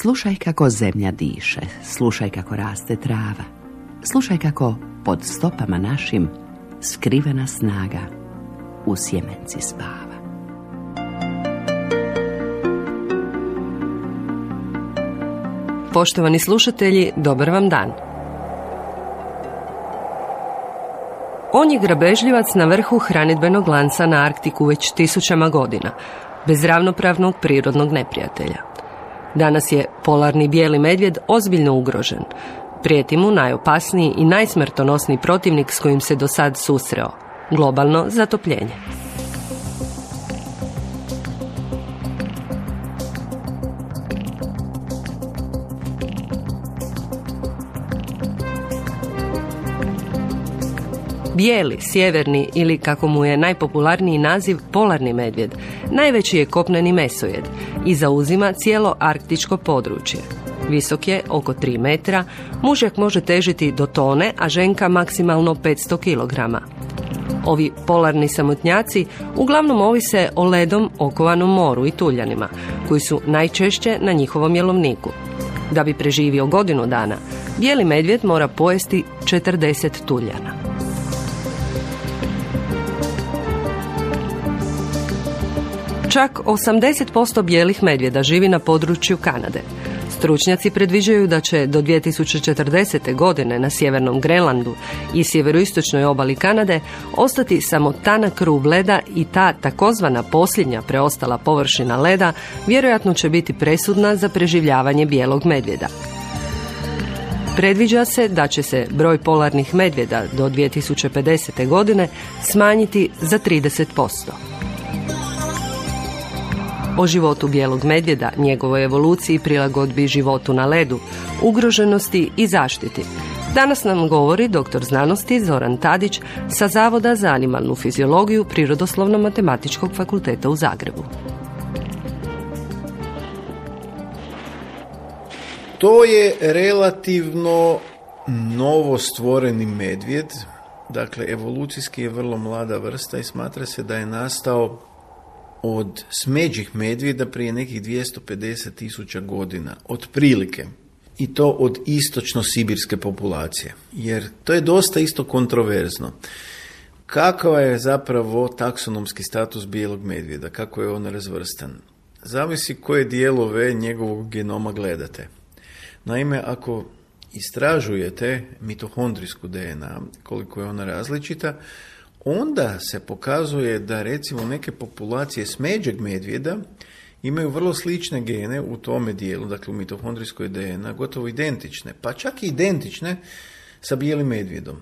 Slušaj kako zemlja diše, slušaj kako raste trava, slušaj kako pod stopama našim skrivena snaga u sjemenci spava. Poštovani slušatelji, dobar vam dan. On je grabežljivac na vrhu hranidbenog lanca na Arktiku već tisućama godina, bez ravnopravnog prirodnog neprijatelja. Danas je polarni bijeli medvjed ozbiljno ugrožen. Prijeti mu najopasniji i najsmrtonosniji protivnik s kojim se do sad susreo – globalno zatopljenje. Bijeli, sjeverni ili, kako mu je najpopularniji naziv, polarni medvjed, najveći je kopneni mesojed i zauzima cijelo arktičko područje. Visok je oko 3 metra, mužjak može težiti do tone, a ženka maksimalno 500 kg. Ovi polarni samotnjaci uglavnom ovise o ledom okovanom moru i tuljanima, koji su najčešće na njihovom jelovniku. Da bi preživio godinu dana, bijeli medvjed mora pojesti 40 tuljana. Čak 80% bijelih medvjeda živi na području Kanade. Stručnjaci predviđaju da će do 2040. godine na sjevernom Grenlandu i sjeveroistočnoj obali Kanade ostati samo tanak rub leda i ta takozvana posljednja preostala površina leda vjerojatno će biti presudna za preživljavanje bijelog medvjeda. Predviđa se da će se broj polarnih medvjeda do 2050. godine smanjiti za 30%. O životu bijelog medvjeda, njegovoj evoluciji, prilagodbi životu na ledu, ugroženosti i zaštiti. Danas nam govori doktor znanosti Zoran Tadić sa Zavoda za animalnu fiziologiju Prirodoslovno-matematičkog fakulteta u Zagrebu. To je relativno novo stvoreni medvjed, dakle evolucijski je vrlo mlada vrsta i smatra se da je nastao od smeđih medvjeda prije nekih 250.000 godina, otprilike. I to od istočno-sibirske populacije. Jer to je dosta isto kontroverzno. Kakav je zapravo taksonomski status bijelog medvjeda? Kako je on razvrstan? Zavisi koje dijelove njegovog genoma gledate. Naime, ako istražujete mitohondrijsku DNA, koliko je ona različita, onda se pokazuje da recimo neke populacije smeđeg medvjeda imaju vrlo slične gene u tome dijelu, dakle u mitohondrijskoj DNA, gotovo identične, pa čak i identične sa bijelim medvjedom.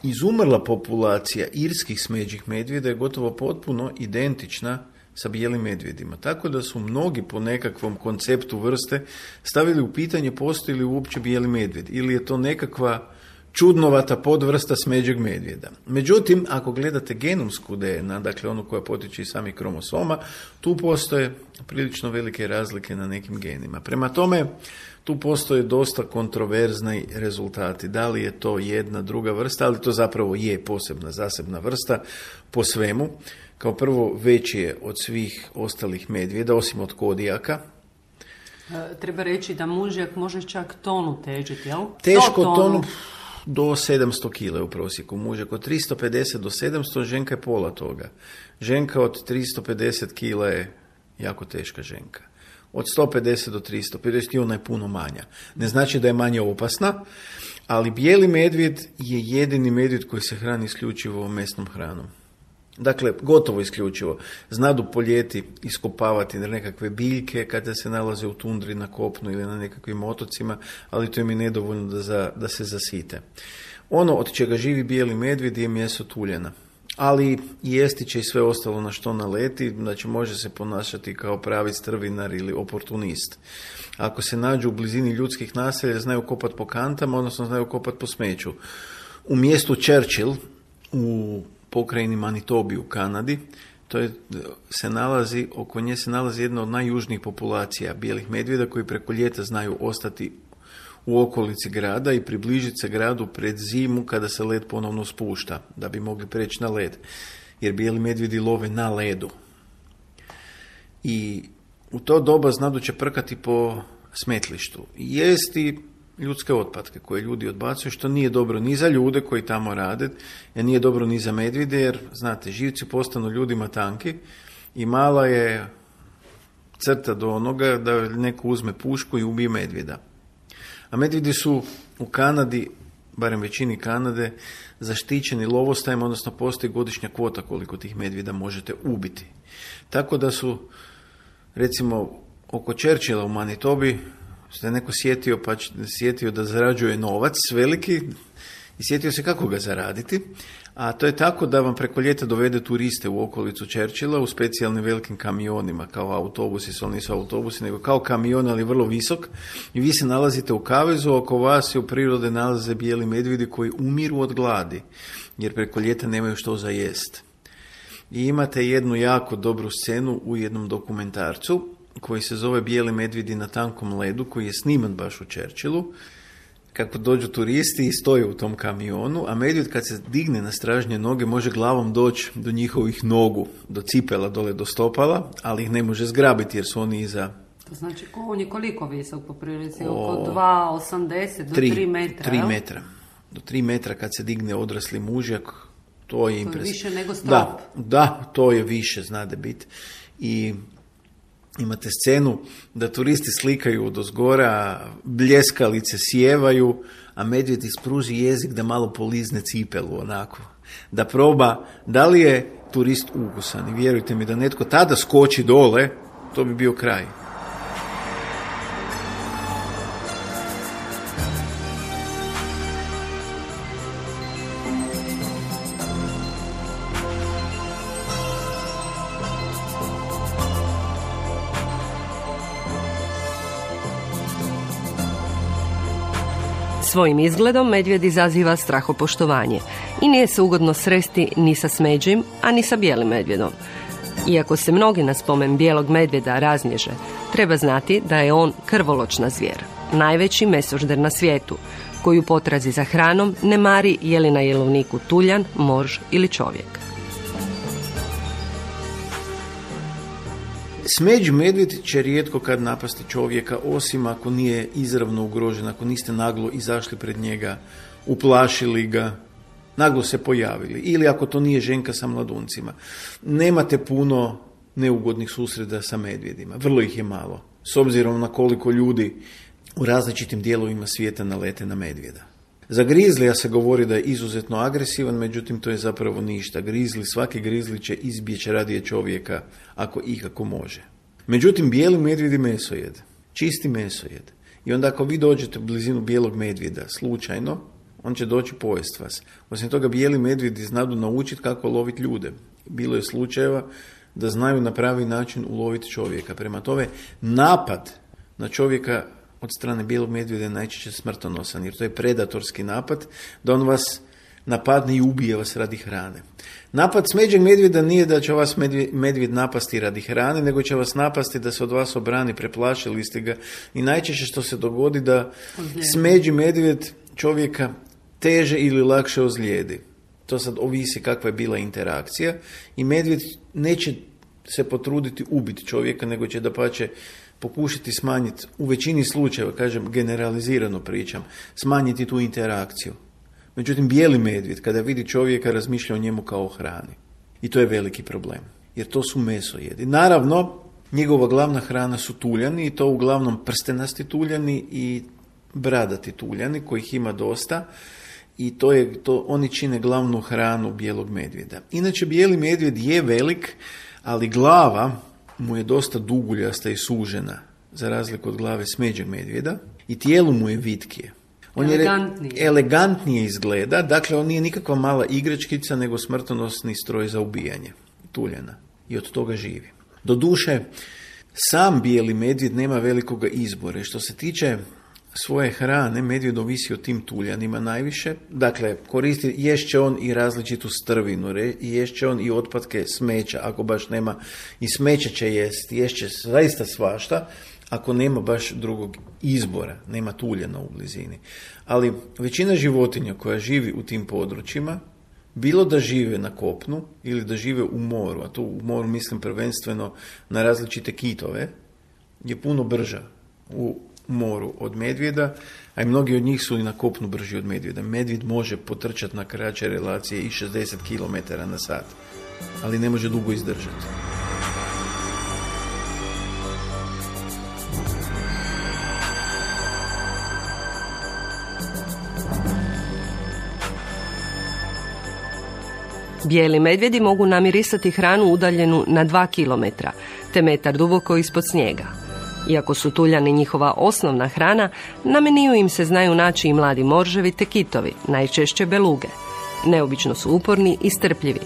Izumrla populacija irskih smeđih medvjeda je gotovo potpuno identična sa bijelim medvjedima. Tako da su mnogi po nekakvom konceptu vrste stavili u pitanje postoji li uopće bijeli medvjed ili je to nekakva čudnovata podvrsta smeđeg medvjeda. Međutim, ako gledate genomsku DNA, dakle onu koja potiče iz samih kromosoma, tu postoje prilično velike razlike na nekim genima. Prema tome, tu postoje dosta kontroverzni rezultati. Da li je to jedna, druga vrsta, ali to zapravo je posebna, zasebna vrsta po svemu. Kao prvo, veći je od svih ostalih medvjeda, osim od kodijaka. Treba reći da mužjak može čak tonu težiti, jel? Teško tonu do 700 kg u prosjeku. Mužjak od 350 do 700, ženka je pola toga. Ženka od 350 kg je jako teška ženka. Od 150 do 350 i ona je puno manja. Ne znači da je manje opasna, ali bijeli medvjed je jedini medvjed koji se hrani isključivo mesnom hranom. Dakle, gotovo isključivo. Znadu po ljeti iskopavati nekakve biljke kada se nalaze u tundri na kopnu ili na nekakvim otocima, ali to im je nedovoljno da se zasite. Ono od čega živi bijeli medvjed je meso tuljana. Ali jesti će i sve ostalo na što naleti, znači može se ponašati kao pravi strvinar ili oportunist. Ako se nađu u blizini ljudskih naselja, znaju kopati po kantama, odnosno znaju kopati po smeću. U mjestu Churchill, u pokrajini Manitobi u Kanadi, oko nje se nalazi jedna od najjužnijih populacija bijelih medvjeda koji preko ljeta znaju ostati u okolici grada i približiti se gradu pred zimu kada se led ponovno spušta, da bi mogli preći na led. Jer bijeli medvjedi love na ledu. I u to doba znadu će prkati po smetlištu jesti ljudske otpadke koje ljudi odbacuju, što nije dobro ni za ljude koji tamo rade, jer nije dobro ni za medvjede, jer, znate, živci postanu ljudima tanki i mala je crta do onoga da neko uzme pušku i ubije medvjeda. A medvjedi su u Kanadi, barem većini Kanade, zaštićeni lovostajem, odnosno postoji godišnja kvota koliko tih medvjeda možete ubiti. Tako da su, recimo, oko Churchilla u Manitobi, se neko sjetio da zarađuje novac veliki i sjetio se kako ga zaraditi, a to je tako da vam preko ljeta dovede turiste u okolicu Churchilla u specijalnim velikim kamionima, kao autobusi, su nisu autobusi, nego kao kamion, ali vrlo visok, i vi se nalazite u kavezu, oko vas se u prirode nalaze bijeli medvjedi koji umiru od gladi, jer preko ljeta nemaju što za jest. I imate jednu jako dobru scenu u jednom dokumentarcu, koji se zove Bijeli medvjedi na tankom ledu, koji je sniman baš u Churchillu, kako dođu turisti i stoje u tom kamionu, a medvjed kad se digne na stražnje noge može glavom doći do njihovih nogu, do cipela, dole do stopala, ali ih ne može zgrabiti jer su oni iza... To znači, on je koliko visok po prilici? Oko 2,80 do 3 metra? 3 metra. Do 3 metra kad se digne odrasli mužjak, to je impresivno. Više nego strop. Da, to je više, znade biti. I imate scenu da turisti slikaju odozgora, bljeskalice sjevaju, a medvjed ispruži jezik da malo polizne cipelu, onako. Da proba da li je turist ukusan. I vjerujte mi da netko tada skoči dole, to bi bio kraj. Svojim izgledom medvjed izaziva strahopoštovanje i nije se ugodno sresti ni sa smeđim, a ni sa bijelim medvjedom. Iako se mnogi na spomen bijelog medvjeda raznježe, treba znati da je on krvoločna zvijer, najveći mesožder na svijetu, koji u potrazi za hranom ne mari je li na jelovniku tuljan, morž ili čovjek. Smeđi medvjed će rijetko kad napasti čovjeka, osim ako nije izravno ugrožen, ako niste naglo izašli pred njega, uplašili ga, naglo se pojavili, ili ako to nije ženka sa mladuncima. Nemate puno neugodnih susreta sa medvjedima, vrlo ih je malo, s obzirom na koliko ljudi u različitim dijelovima svijeta nalete na medvjeda. Za grizlija se govori da je izuzetno agresivan, međutim to je zapravo ništa. Svaki grizli će izbjeći radije čovjeka ako ikako može. Međutim, bijeli medvjed je mesojed, čisti mesojed. I onda ako vi dođete u blizinu bijelog medvjeda slučajno, on će doći pojest vas. Osim toga, bijeli medvjedi znadu naučiti kako loviti ljude. Bilo je slučajeva da znaju na pravi način uloviti čovjeka. Prema tome, napad na čovjeka od strane bijelog medvjeda je najčešće smrtonosan, jer to je predatorski napad, da on vas napadne i ubije vas radi hrane. Napad smeđeg medvjeda nije da će vas medvjed napasti radi hrane, nego će vas napasti da se od vas obrani, preplašili ste ga. I najčešće što se dogodi da smeđi medvjed čovjeka teže ili lakše ozlijedi. To sad ovisi kakva je bila interakcija i medvjed neće se potruditi ubiti čovjeka, nego će dapače pokušati smanjiti, u većini slučajeva, kažem, generalizirano pričam, smanjiti tu interakciju. Međutim, bijeli medvjed, kada vidi čovjeka, razmišlja o njemu kao o hrani. I to je veliki problem, jer to su mesojedi. Naravno, njegova glavna hrana su tuljani, i to uglavnom prstenasti tuljani i bradati tuljani, kojih ima dosta, i oni čine glavnu hranu bijelog medvjeda. Inače, bijeli medvjed je velik, ali glava mu je dosta duguljasta i sužena, za razliku od glave smeđeg medvjeda, i tijelo mu je vitkije. On elegantnije izgleda, dakle on nije nikakva mala igračkica, nego smrtonosni stroj za ubijanje tuljana, i od toga živi. Doduše, sam bijeli medvjed nema velikoga izbora. Što se tiče svoje hrane, medvjed ovisi o tim tuljanima najviše. Dakle, ješće on i različitu strvinu, ješće on i otpadke smeća, ako baš nema, i smeća će ješće zaista svašta, ako nema baš drugog izbora, nema tuljana u blizini. Ali većina životinja koja živi u tim područjima, bilo da žive na kopnu ili da žive u moru, a tu u moru mislim prvenstveno na različite kitove, je puno brža u moru od medvjeda, a i mnogi od njih su i na kopnu brži od medvjeda. Medvjed može potrčati na kraće relacije i 60 km na sat, ali ne može dugo izdržati. Bijeli medvjedi mogu namirisati hranu udaljenu na 2 km, te metar duboko ispod snijega. Iako su tuljani njihova osnovna hrana, na meniju im se znaju naći i mladi morževi te kitovi, najčešće beluge. Neobično su uporni i strpljivi,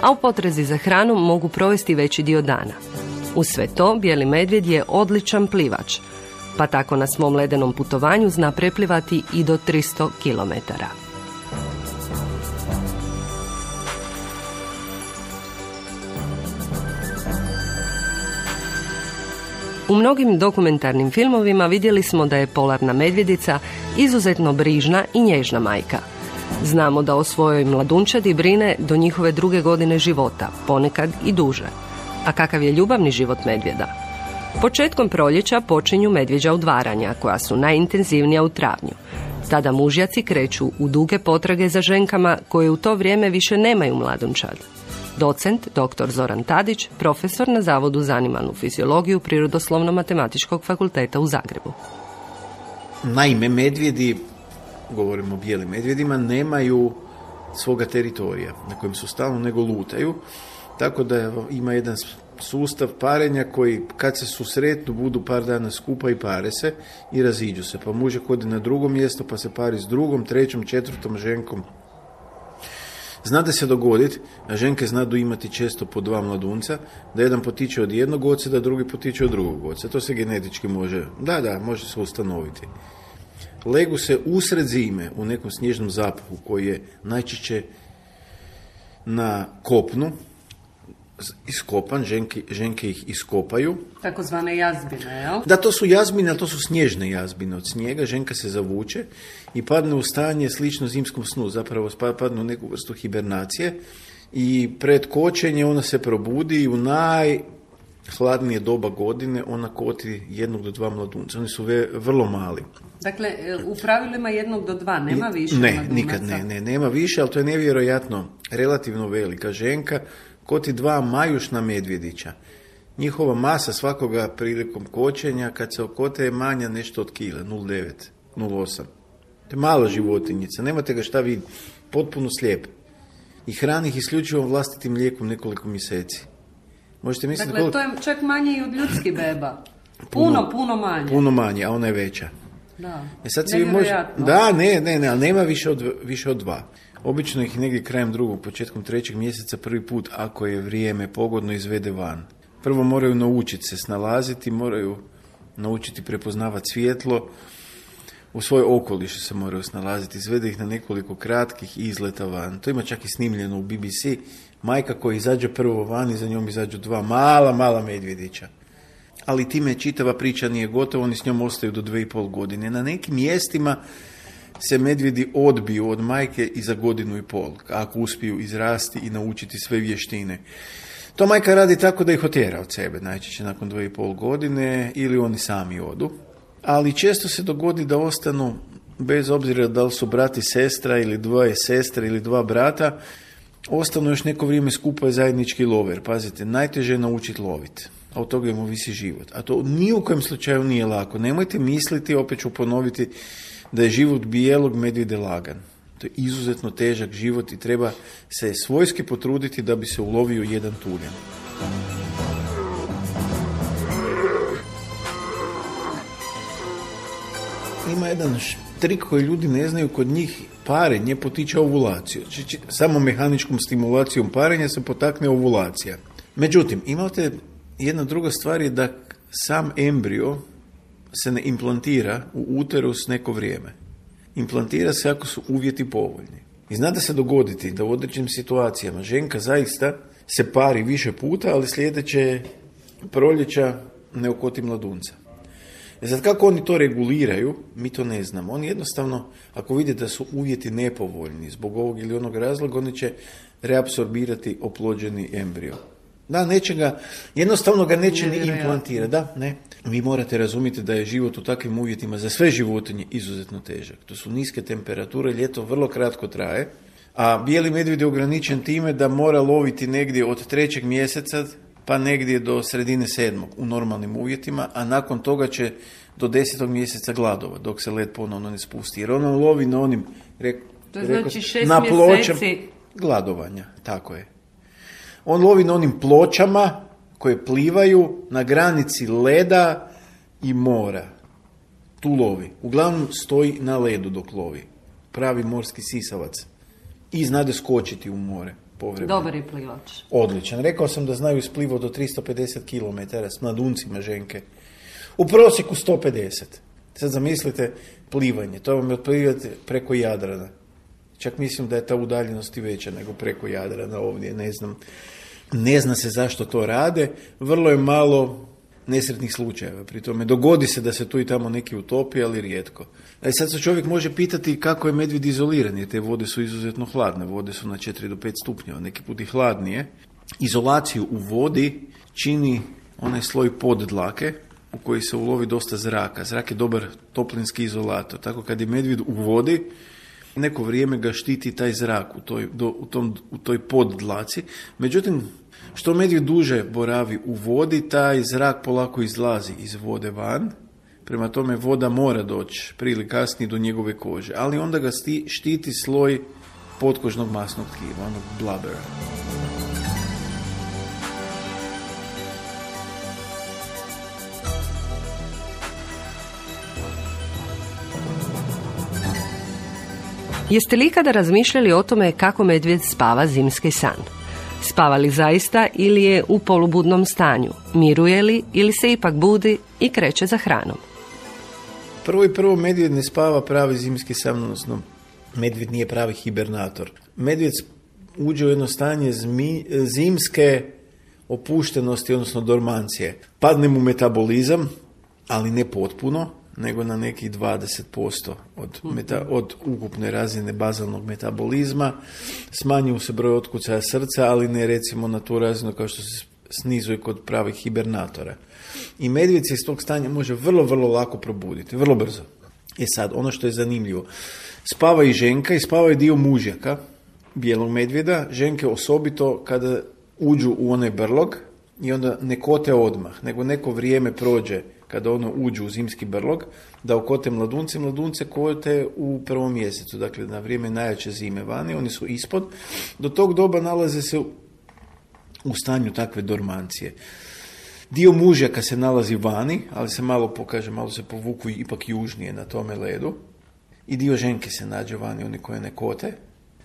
a u potrazi za hranom mogu provesti veći dio dana. Uz sve to, bijeli medvjed je odličan plivač, pa tako na svom ledenom putovanju zna preplivati i do 300 km. U mnogim dokumentarnim filmovima vidjeli smo da je polarna medvjedica izuzetno brižna i nježna majka. Znamo da o svojoj mladunčadi brine do njihove 2. godine života, ponekad i duže. A kakav je ljubavni život medvjeda? Početkom proljeća počinju medvjeđa udvaranja, koja su najintenzivnija u travnju. Tada mužjaci kreću u duge potrage za ženkama koje u to vrijeme više nemaju mladunčad. Docent, dr. Zoran Tadić, profesor na Zavodu za animalnu fiziologiju Prirodoslovno-matematičkog fakulteta u Zagrebu. Naime, medvjedi, govorimo o bijelim medvjedima, nemaju svoga teritorija na kojem su stalno, nego lutaju, tako da ima jedan sustav parenja koji kad se susretnu budu par dana skupa i pare se i raziđu se. Pa mužak ode na drugo mjesto pa se pari s drugom, trećom, četvrtom ženkom. Zna se dogoditi, a ženke znadu imati često po 2 mladunca, da jedan potiče od jednog oca, da drugi potiče od drugog oca. To se genetički može, može se ustanoviti. Legu se usred zime u nekom snježnom zapuhu koji je najčešće na kopnu, iskopan, ženke ih iskopaju. Takozvane jazbine, jel? Da, to su jazbine, ali to su snježne jazbine od snijega. Ženka se zavuče i padne u stanje slično zimskom snu, zapravo padne u neku vrstu hibernacije i pred kočenje ona se probudi i u najhladnije doba godine ona koti 1 do 2 mladunca. Oni su vrlo mali. Dakle, u pravilima 1 do 2, nema više mladunaca? Nikad nema više, ali to je nevjerojatno relativno velika ženka. Koti 2 majušna medvjedića. Njihova masa svakoga prilikom kočenja, kad se okote, je manja nešto od kila, 0,9, 0,8. To je mala životinjica, nemate ga šta vidjeti, potpuno slijep. I hrani ih isključivo vlastitim mlijekom nekoliko mjeseci. Možete misliti dakle, to je čak manje i od ljudskih beba. Puno manje. Puno manje, a ona je veća. Da, sad nevjerojatno. Ali nema više od 2. Obično ih negdje krajem 2. početkom 3. mjeseca prvi put, ako je vrijeme pogodno, izvede van. Prvo moraju naučiti se snalaziti, moraju naučiti prepoznavati svjetlo, u svoj okoliš se moraju snalaziti, izvede ih na nekoliko kratkih izleta van. To ima čak i snimljeno u BBC. Majka koja izađe prvo van i za njom izađu 2 mala medvjedića. Ali time čitava priča nije gotova, oni s njom ostaju do 2,5 godine. Na nekim mjestima se medvjedi odbiju od majke i za 1,5 godinu, ako uspiju izrasti i naučiti sve vještine. To majka radi tako da ih otjera od sebe, najčešće nakon 2,5 godine, ili oni sami odu. Ali često se dogodi da ostanu, bez obzira da li su brat i sestra, ili 2 sestre, ili 2 brata, ostanu još neko vrijeme skupa i zajednički lover. Pazite, najteže je naučiti loviti, a od toga im ovisi život. A to ni u kojem slučaju nije lako. Nemojte misliti, opet ću ponoviti, da je život bijelog medvjeda lagan. To je izuzetno težak život i treba se svojski potruditi da bi se ulovio jedan tuljan. Ima jedan trik koji ljudi ne znaju, kod njih parenje potiče ovulaciju. Samo mehaničkom stimulacijom parenja se potakne ovulacija. Međutim, imate jedna druga stvar je da sam embrio se ne implantira u uterus neko vrijeme. Implantira se ako su uvjeti povoljni. I zna da se dogoditi da u određenim situacijama ženka zaista se pari više puta, ali sljedeće proljeća ne okoti mladunca. Sad kako oni to reguliraju, mi to ne znamo. Oni jednostavno, ako vide da su uvjeti nepovoljni zbog ovog ili onog razloga, oni će reapsorbirati oplođeni embrio. Da, nečega, jednostavno ga neće ni implantirati. Da, ne. Vi morate razumjeti da je život u takvim uvjetima za sve životinje izuzetno težak. To su niske temperature, ljeto vrlo kratko traje, a bijeli medvjed je ograničen time da mora loviti negdje od 3. mjeseca pa negdje do sredine 7. u normalnim uvjetima, a nakon toga će do 10. mjeseca gladova, dok se led ponovno ne spusti. Jer ono lovi na onim, to znači 6 na pločama mjeseci gladovanja, tako je. On lovi na onim pločama koje plivaju na granici leda i mora. Tu lovi. Uglavnom stoji na ledu dok lovi. Pravi morski sisavac. I znade skočiti u more. Povremeno. Dobar je plivač. Odličan. Rekao sam da znaju splivati do 350 km s mladuncima ženke. U prosjeku 150. Sad zamislite plivanje. To vam je plivati preko Jadrana. Čak mislim da je ta udaljenost i veća nego preko Jadrana ovdje. Ne znam. Ne zna se zašto to rade. Vrlo je malo nesretnih slučajeva. Pri tome dogodi se da se tu i tamo neki utopi, ali rijetko. Sad se čovjek može pitati kako je medvjed izoliran, jer te vode su izuzetno hladne. Vode su na 4 do 5 stupnjeva, neki put i hladnije. Izolaciju u vodi čini onaj sloj poddlake u koji se ulovi dosta zraka. Zrak je dobar toplinski izolator. Tako kad je medvjed u vodi, neko vrijeme ga štiti taj zrak u toj poddlaci. Međutim, što medvjed duže boravi u vodi, taj zrak polako izlazi iz vode van. Prema tome voda mora doći prije ili kasnije do njegove kože. Ali onda ga štiti sloj potkožnog masnog tkiva, onog blubbera. Jeste li ikada razmišljali o tome kako medvjed spava zimski san? Spava li zaista ili je u polubudnom stanju? Miruje li ili se ipak budi i kreće za hranom? Prvo medvjed ne spava pravi zimski san, odnosno medvjed nije pravi hibernator. Medvjed uđe u jedno stanje zimske opuštenosti, odnosno dormancije. Padne mu metabolizam, ali ne potpuno, nego na nekih 20% od ukupne razine bazalnog metabolizma. Smanjuju se broj otkucaja srca, ali ne recimo na tu razinu kao što se snizuje kod pravih hibernatora. I medvjed se iz tog stanja može vrlo, vrlo lako probuditi, vrlo brzo. Sad, ono što je zanimljivo, spava i ženka i spava i dio mužjaka bijelog medvjeda, ženke osobito kada uđu u onaj brlog i onda ne kote odmah, nego neko vrijeme prođe kada ono uđu u zimski brlog, da okote mladunce kote u 1. mjesecu, dakle na vrijeme najjače zime vani, oni su ispod. Do tog doba nalaze se u stanju takve dormancije. Dio mužjaka se nalazi vani, ali se malo se povuku ipak južnije na tome ledu. I dio ženke se nađe vani, oni koje ne kote,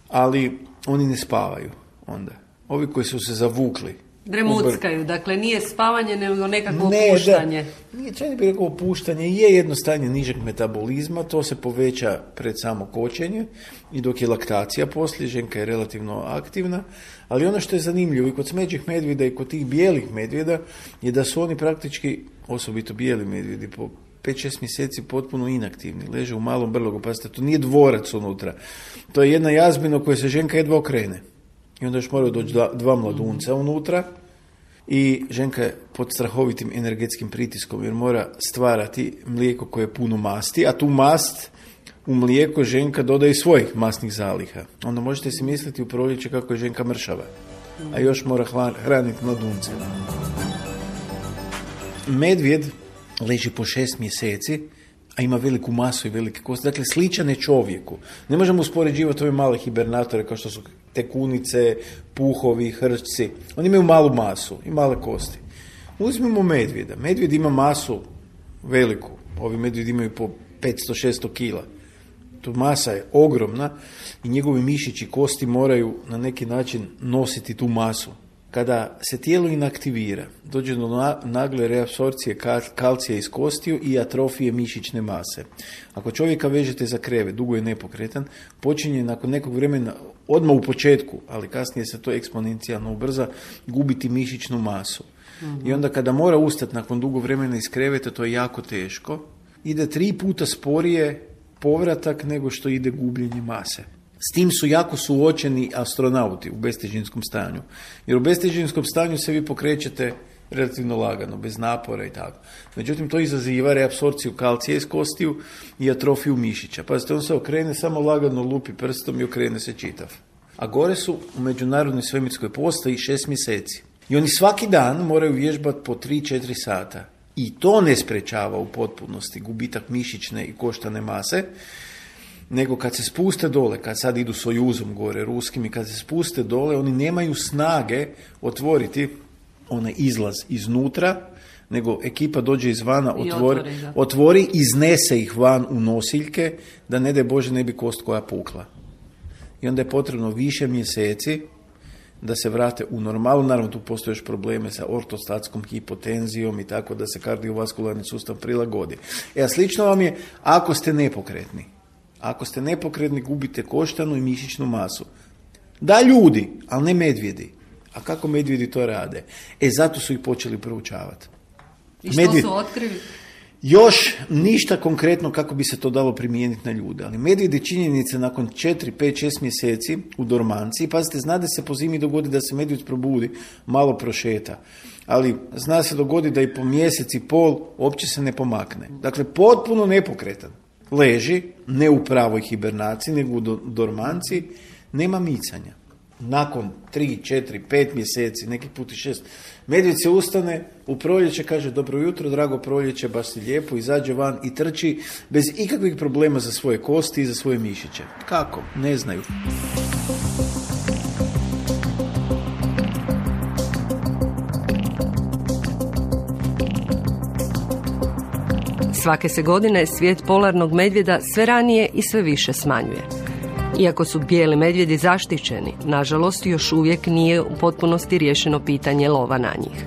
ali oni ne spavaju onda. Ovi koji su se zavukli, dremuckaju, dakle nije spavanje nego nekako opuštanje. Nije, čak ne bih rekao opuštanje, je jedno stanje nižeg metabolizma, to se poveća pred samo kočenje i dok je laktacija poslije, ženka je relativno aktivna, ali ono što je zanimljivo i kod smeđih medvjeda i kod tih bijelih medvjeda je da su oni praktički, osobito bijeli medvjedi, po 5-6 mjeseci potpuno inaktivni, leže u malom brlogu, pazite, to nije dvorac unutra, to je jedna jazbina u kojoj se ženka jedva okrene. I onda još moraju doći dva mladunca unutra i ženka je pod strahovitim energetskim pritiskom jer mora stvarati mlijeko koje je puno masti, a tu mast u mlijeko ženka dodaje svojih masnih zaliha. Onda možete si misliti u proljeće kako je ženka mršava, a još mora hraniti mladunce. Medvjed leži po 6 mjeseci, a ima veliku masu i velike kosti. Dakle, sličan je čovjeku. Ne možemo uspoređivati ove male hibernatore kao što su tekunice, puhovi, hrčci. Oni imaju malu masu i male kosti. Uzmimo medvjeda. Medvjed ima masu veliku. Ovi medvjedi imaju po 500-600 kila. Tu masa je ogromna i njegovi mišići kosti moraju na neki način nositi tu masu. Kada se tijelo inaktivira, dođe do nagle reapsorpcije kalcija iz kostiju i atrofije mišićne mase. Ako čovjeka vežete za krevet, dugo je nepokretan, počinje nakon nekog vremena, odmah u početku, ali kasnije se to eksponencijalno ubrza, gubiti mišićnu masu. I onda kada mora ustati nakon dugo vremena iz kreveta, to je jako teško. Ide 3 puta sporije povratak nego što ide gubljenje mase. S tim su jako suočeni astronauti u bestežinskom stanju. Jer u bestežinskom stanju se vi pokrećete relativno lagano, bez napora i tako. Međutim, to izaziva reapsorpciju kalcija iz kostiju i atrofiju mišića. Pazite, on se okrene, samo lagano lupi prstom i okrene se čitav. A gore su u Međunarodnoj svemirskoj postaji 6 mjeseci. I oni svaki dan moraju vježbati po 3-4 sata. I to ne sprečava u potpunosti gubitak mišićne i koštane mase, nego kad se spuste dole, kad sad idu Sojuzom gore, ruskim, i kad se spuste dole, oni nemaju snage otvoriti onaj izlaz iznutra, nego ekipa dođe izvana, otvori, iznese ih van u nosiljke, da ne daj Bože ne bi kost koja pukla. I onda je potrebno više mjeseci da se vrate u normalu. Naravno, tu postoje još probleme sa ortostatskom hipotenzijom i tako, da se kardiovaskularni sustav prilagodi. A slično vam je ako ste nepokretni. Ako ste nepokretni, gubite koštanu i mišićnu masu. Da, ljudi, ali ne medvjedi. A kako medvjedi to rade? Zato su ih počeli proučavati. I što su otkrili? Još ništa konkretno kako bi se to dalo primijeniti na ljude, ali medvjedi činjenice nakon 4, 5, 6 mjeseci u dormanciji, pazite, zna da se po zimi dogodi da se medvjed probudi, malo prošeta, ali zna se dogodi da i po mjesec i pol uopće se ne pomakne. Dakle, potpuno nepokretan. Leži, ne u pravoj hibernaciji, nego u dormanciji, nema micanja. Nakon 3, 4, 5 mjeseci, neki put i 6, medvjed se ustane u proljeće, kaže dobro jutro, drago proljeće, baš si lijepo, izađe van i trči bez ikakvih problema za svoje kosti i za svoje mišiće. Kako? Ne znaju. Svake se godine svijet polarnog medvjeda sve ranije i sve više smanjuje. Iako su bijeli medvjedi zaštićeni, nažalost još uvijek nije u potpunosti riješeno pitanje lova na njih.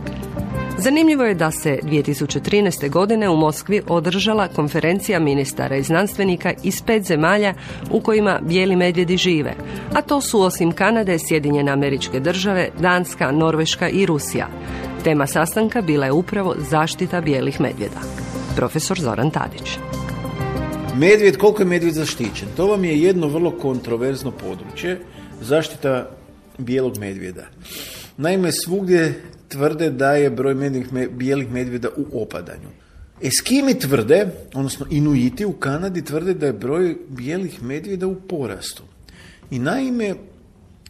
Zanimljivo je da se 2013. godine u Moskvi održala konferencija ministara i znanstvenika iz 5 zemalja u kojima bijeli medvjedi žive, a to su osim Kanade, Sjedinjene Američke Države, Danska, Norveška i Rusija. Tema sastanka bila je upravo zaštita bijelih medvjeda. Profesor Zoran Tadić. Medvjed, koliko je medvjed zaštićen? To vam je jedno vrlo kontroverzno područje, zaštita bijelog medvjeda. Naime, svugdje tvrde da je broj bijelih medvjeda u opadanju. Eskimi tvrde, odnosno Inuiti u Kanadi tvrde da je broj bijelih medvjeda u porastu. I naime,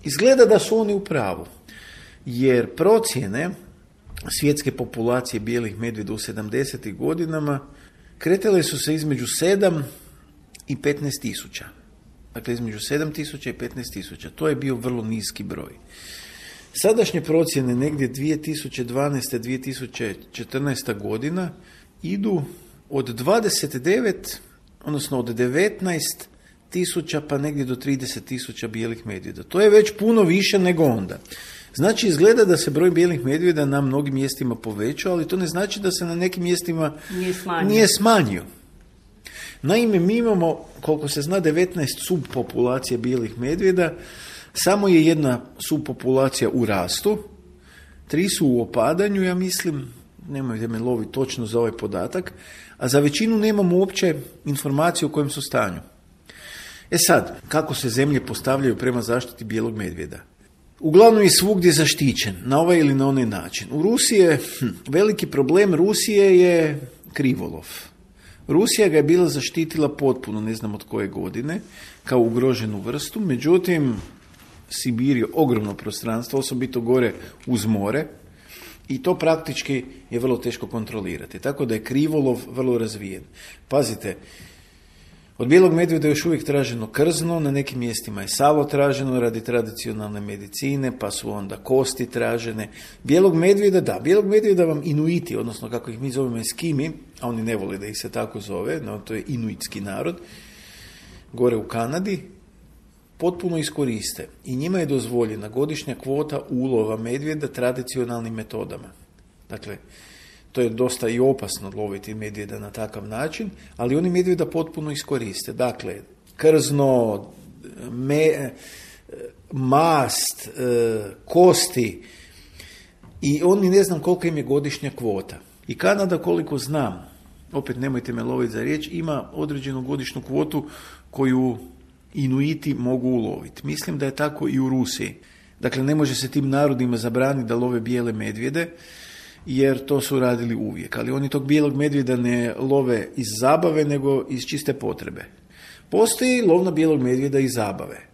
izgleda da su oni u pravu, jer procjene svjetske populacije bijelih medvjeda u 70. godinama kretale su se između 7 i 15 tisuća. Dakle, između 7 tisuća i 15 tisuća. To je bio vrlo niski broj. Sadašnje procjene negdje 2012. 2014. godina idu od 29, odnosno od 19 tisuća pa negdje do 30 tisuća bijelih medvjeda. To je već puno više nego onda. Znači, izgleda da se broj bijelih medvjeda na mnogim mjestima povećao, ali to ne znači da se na nekim mjestima nije smanjio. Naime, mi imamo, koliko se zna, 19 subpopulacija bijelih medvjeda, samo je jedna subpopulacija u rastu, 3 su u opadanju, ja mislim, nemojte me loviti točno za ovaj podatak, a za većinu nemamo uopće informacije o kojem su stanju. Sad, kako se zemlje postavljaju prema zaštiti bijelog medvjeda? Uglavnom je svugdje zaštićen, na ovaj ili na onaj način. U Rusiji je veliki problem, Rusije je krivolov. Rusija ga je bila zaštitila potpuno, ne znam od koje godine, kao ugroženu vrstu, međutim, Sibir je ogromno prostranstvo, osobito gore uz more, i to praktički je vrlo teško kontrolirati. Tako da je krivolov vrlo razvijen. Pazite, od bijelog medvjeda je još uvijek traženo krzno, na nekim mjestima je salo traženo radi tradicionalne medicine, pa su onda kosti tražene. Bijelog medvjeda vam Inuiti, odnosno kako ih mi zovemo Eskimi, a oni ne vole da ih se tako zove, no to je inuitski narod, gore u Kanadi, potpuno iskoriste. I njima je dozvoljena godišnja kvota ulova medvjeda tradicionalnim metodama. Dakle, to je dosta i opasno loviti medvjeda na takav način, ali oni medvjeda potpuno iskoriste. Dakle, krzno, mast, kosti, i oni ne znam koliko im je godišnja kvota. I Kanada, koliko znam, opet nemojte me loviti za riječ, ima određenu godišnju kvotu koju Inuiti mogu uloviti. Mislim da je tako i u Rusiji. Dakle, ne može se tim narodima zabraniti da love bijele medvjede, jer to su radili uvijek. Ali oni tog bijelog medvjeda ne love iz zabave, nego iz čiste potrebe. Postoji lov na bijelog medvjeda iz zabave.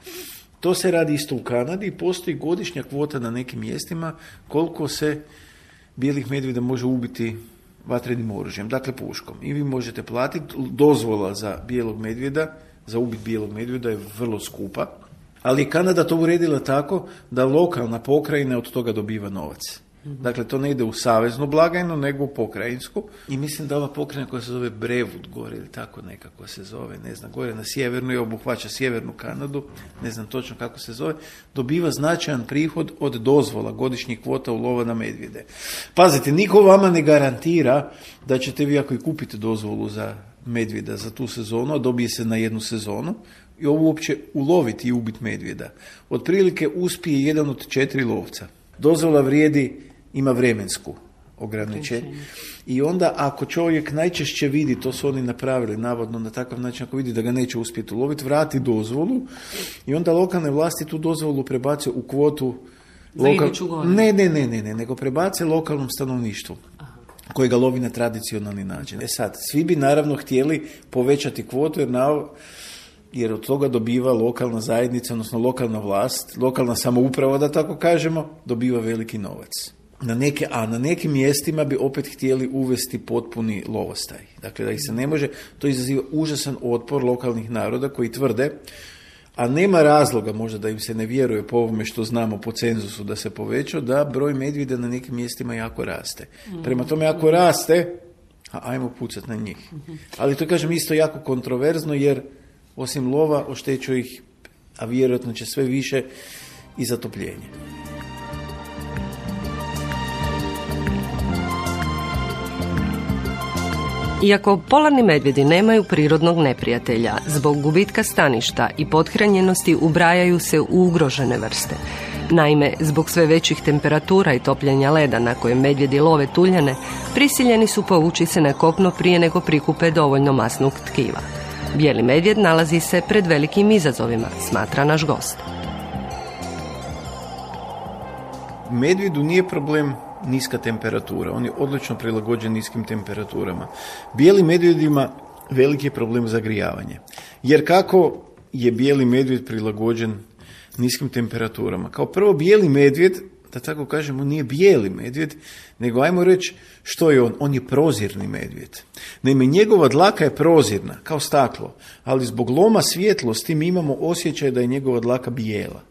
To se radi isto u Kanadi i postoji godišnja kvota na nekim mjestima koliko se bijelih medvjeda može ubiti vatrenim oružjem, dakle puškom. I vi možete platiti, dozvola za bijelog medvjeda, za ubit bijelog medvjeda je vrlo skupa, ali je Kanada to uredila tako da lokalna pokrajina od toga dobiva novac. Dakle, to ne ide u saveznu blagajnu, nego u pokrajinsku. I mislim da ova pokrajina koja se zove Brevud gore, ili tako nekako se zove, ne znam, gore na sjevernu i obuhvaća sjevernu Kanadu, ne znam točno kako se zove, dobiva značajan prihod od dozvola godišnjih kvota ulova na medvjede. Pazite, niko vama ne garantira da ćete vi, ako i kupite dozvolu za medvjeda za tu sezonu, a dobije se na jednu sezonu, i ovo uopće uloviti i ubiti medvjeda. Otprilike uspije jedan od 4 lovca. Dozvola vrijedi, ima vremensku ograničenje. I onda ako čovjek najčešće vidi, to su oni napravili navodno na takav način, ako vidi da ga neće uspjeti uloviti, vrati dozvolu i onda lokalne vlasti tu dozvolu prebace u kvotu nego prebace lokalnom stanovništvu koje ga lovi na tradicionalni način. Sad, svi bi naravno htjeli povećati kvotu jer od toga dobiva lokalna zajednica, odnosno lokalna vlast, lokalna samouprava, da tako kažemo, dobiva veliki novac. Na nekim mjestima bi opet htjeli uvesti potpuni lovostaj. Dakle, da ih se ne može, to izaziva užasan otpor lokalnih naroda koji tvrde, a nema razloga možda da im se ne vjeruje po ovome što znamo po cenzusu da se povećao, da broj medvjeda na nekim mjestima jako raste. Prema tome, ako raste, ajmo pucati na njih. Ali to kažem isto jako kontroverzno, jer osim lova oštećuje ih, a vjerojatno će sve više, i zatopljenje. Iako polarni medvjedi nemaju prirodnog neprijatelja, zbog gubitka staništa i pothranjenosti ubrajaju se u ugrožene vrste. Naime, zbog sve većih temperatura i topljenja leda na kojem medvjedi love tuljane, prisiljeni su povući se na kopno prije nego prikupe dovoljno masnog tkiva. Bijeli medvjed nalazi se pred velikim izazovima, smatra naš gost. Medvjedu nije problem niska temperatura, on je odlično prilagođen niskim temperaturama. Bijeli medvjedima veliki je problem zagrijavanje. Jer kako je bijeli medvjed prilagođen niskim temperaturama? Kao prvo, bijeli medvjed, da tako kažemo, nije bijeli medvjed, nego ajmo reći što je on. On je prozirni medvjed. Naime, njegova dlaka je prozirna, kao staklo, ali zbog loma svjetlosti mi imamo osjećaj da je njegova dlaka bijela.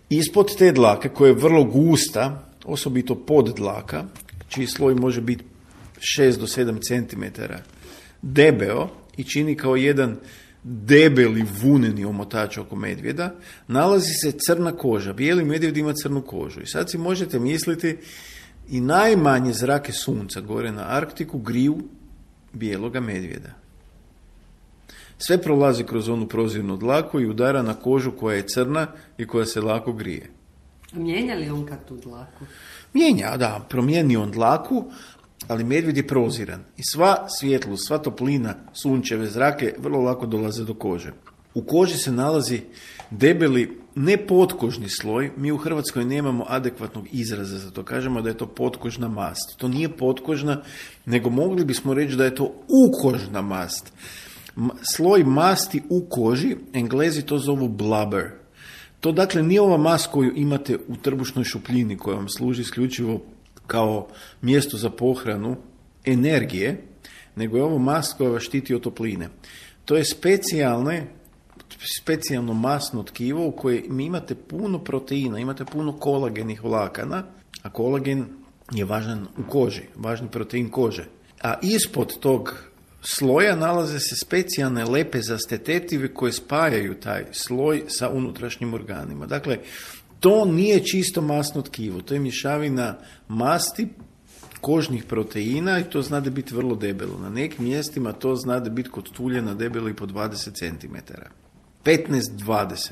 Ispod te dlake, koja je vrlo gusta, osobito pod dlaka, čiji sloj može biti 6 do 7 cm debeo i čini kao jedan debeli vuneni omotač oko medvjeda, nalazi se crna koža. Bijeli medvjed ima crnu kožu. I sad si možete misliti, i najmanje zrake sunca gore na Arktiku griju bijeloga medvjeda. Sve prolazi kroz onu prozirnu dlaku i udara na kožu koja je crna i koja se lako grije. Mijenja li on kad tu dlaku? Mijenja, da, promijeni on dlaku, ali medvjed je proziran. I sva svjetlost, sva toplina sunčeve zrake vrlo lako dolaze do kože. U koži se nalazi debeli, ne potkožni sloj, mi u Hrvatskoj nemamo adekvatnog izraza za to, kažemo da je to potkožna mast. To nije potkožna, nego mogli bismo reći da je to ukožna mast. Sloj masti u koži, Englezi to zovu blubber. To dakle nije ova mast koju imate u trbušnoj šupljini koja vam služi isključivo kao mjesto za pohranu energije, nego je ovo mast koja vas štiti od topline. To je specijalno masno tkivo u kojem imate puno proteina, imate puno kolagenih vlakana, a kolagen je važan u koži, važni protein kože. A ispod tog sloja nalaze se specijalne lepezaste tetive koje spajaju taj sloj sa unutrašnjim organima. Dakle, to nije čisto masno tkivo, to je mješavina masti, kožnih proteina i to zna da biti vrlo debelo. Na nekim mjestima to zna da biti kod tuljana debelo i po 20 cm. 15-20.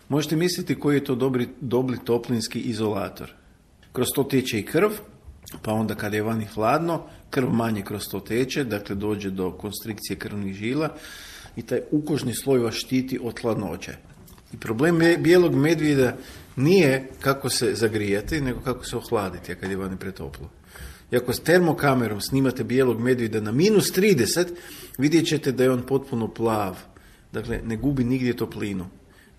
Možete misliti koji je to dobri toplinski izolator. Kroz to teče i krv, pa onda kada je vani hladno, krv manje kroz to teče, dakle dođe do konstrikcije krvnih žila i taj ukožni sloj vas štiti od hladnoće. I problem bijelog medvjeda nije kako se zagrijati, nego kako se ohladiti, a kad je vani pretoplo. I ako s termokamerom snimate bijelog medvjeda na -30, vidjet ćete da je on potpuno plav. Dakle, ne gubi nigdje toplinu.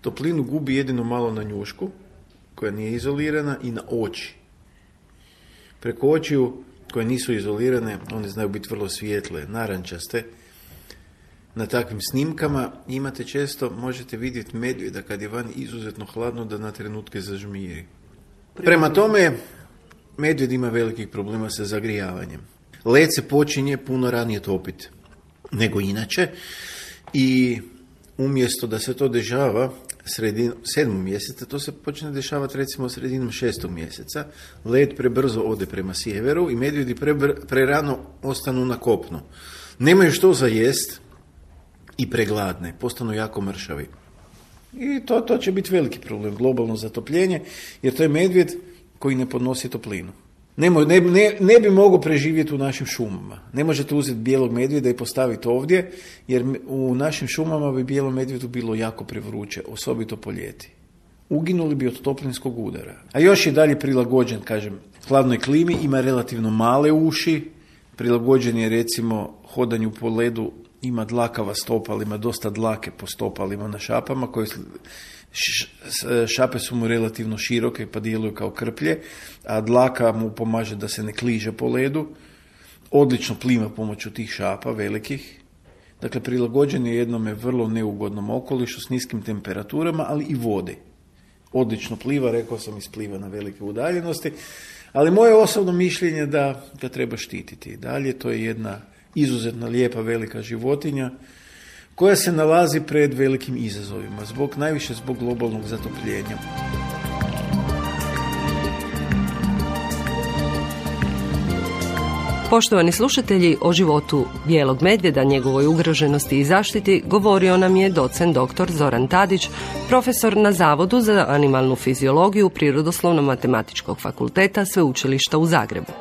Toplinu gubi jedino malo na njušku, koja nije izolirana, i na oči. Preko očiju, koje nisu izolirane, one znaju biti vrlo svijetle, narančaste. Na takvim snimkama imate često, možete vidjeti medvjeda kad je van izuzetno hladno da na trenutke zažmiri. Prema tome, medvjed ima velikih problema sa zagrijavanjem. Led se počinje puno ranije topiti nego inače i umjesto da se to dešava sredinom 7. mjeseca, to se počne dešavati recimo sredinom 6. mjeseca. Led prebrzo ode prema sjeveru i medvjedi prerano ostanu na kopnu. Nemaju što za jest i pregladne, postanu jako mršavi. I to će biti veliki problem, globalno zatopljenje, jer to je medvjed koji ne podnosi toplinu. Ne bi mogao preživjeti u našim šumama. Ne možete uzeti bijelog medvjeda i postaviti ovdje, jer u našim šumama bi bijelom medvjedu bilo jako prevruće, osobito po ljeti. Uginuli bi od toplinskog udara. A još je dalje prilagođen, kažem, hladnoj klimi, ima relativno male uši, prilagođen je recimo hodanju po ledu, ima dlakava stopala, ima dosta dlake po stopalima na šapama, koje šape su mu relativno široke pa djeluju kao krplje, a dlaka mu pomaže da se ne kliže po ledu. Odlično plima pomoću tih šapa velikih. Dakle, prilagođen je jednome vrlo neugodnom okolišu s niskim temperaturama, ali i vodi. Odlično pliva, rekao sam, ispliva na velike udaljenosti, ali moje osobno mišljenje da ga treba štititi. Dalje, to je jedna izuzetno lijepa velika životinja koja se nalazi pred velikim izazovima, najviše zbog globalnog zatopljenja. Poštovani slušatelji, o životu bijelog medvjeda, njegovoj ugroženosti i zaštiti govorio nam je docent dr. Zoran Tadić, profesor na Zavodu za animalnu fiziologiju Prirodoslovno-matematičkog fakulteta Sveučilišta u Zagrebu.